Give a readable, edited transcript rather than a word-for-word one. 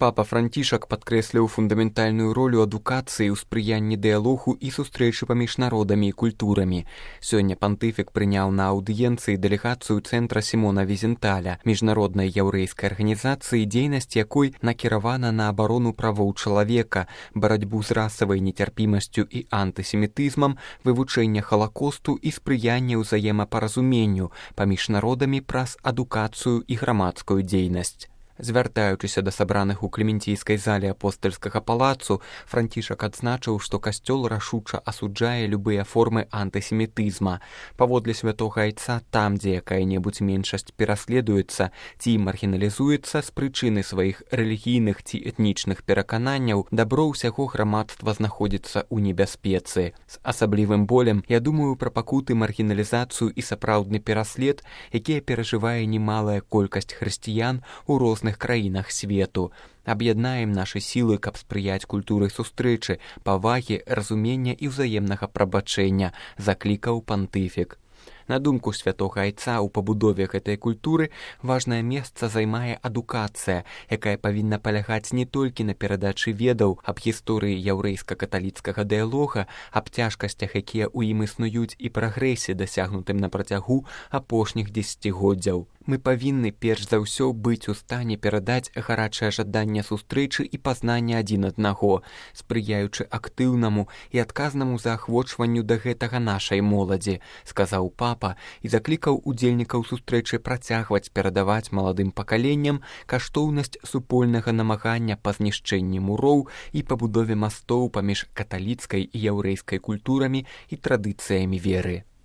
Папа Францішак падкрэсліў фундаментальную ролю адукацыі ў спрыянні дыялогу і сустрэчы паміж народамі і культурамі. Сёння пантыфік прыняў на аўдыенцыі дэлегацыю цэнтра Сімона Візенталя, міжнароднай яўрэйскай арганізацыі, дзейнасць якой накіравана на абарону правоў чалавека, барацьбу з расавай нецярпімасцю і антысемітызмам, вывучэнне халакосту і спрыянне ўзаемапаразуменню паміж народамі праз адукацыю і грамадскую дзейнасць. Звяртаючыся да сабраных у клементійскай зале апостальскага палацу, Францішак адзначыў, што касцёл рашуча асуджае любыя формы антысемітызма. Паводле святога айца, там, дзе якая-небудзь меншасць пераследуецца ці маргіналізуецца з прычыны сваіх рэлігійных ці этнічных перакананняў, дабро ўсяго грамадства знаходзіцца ў небяспецы. З асаблівым болем я думаю пра пакуты, маргіналізацыю і сапраўдны пераслед, якія перажывае немалая колькасць хрысціян у розных краінах свету. Аб'яднаем нашы сілы, каб спрыяць культуры сустрэчы, павагі, разумення і ўзаемнага прабачэння, заклікаў пантыфік. На думку святога айца, у пабудове гэтай культуры важнае месца займае адукацыя, якая павінна палягаць не толькі на перадачы ведаў аб гісторыі яўрэйска-каталіцкага дыялога, аб цяжкасцях, якія ў ім існуюць, і прагрэсе, дасягнутым на працягу апошніх дзесяцігоддзяў. Мы павінны перш за ўсё быць у стане перадаць гарачае жаданне сустрэчы і пазнання адзін аднаго, спрыяючы актыўнаму і адказнаму заахвочванню да гэтага нашай моладзі, сказаў папа і заклікаў удзельнікаў сустрэчы працягваць перадаваць маладым пакаленням каштоўнасць супольнага намагання па знішчэнні муроў і пабудове мастоў паміж каталіцкай і яўрэйскай культурамі і традыцыямі веры.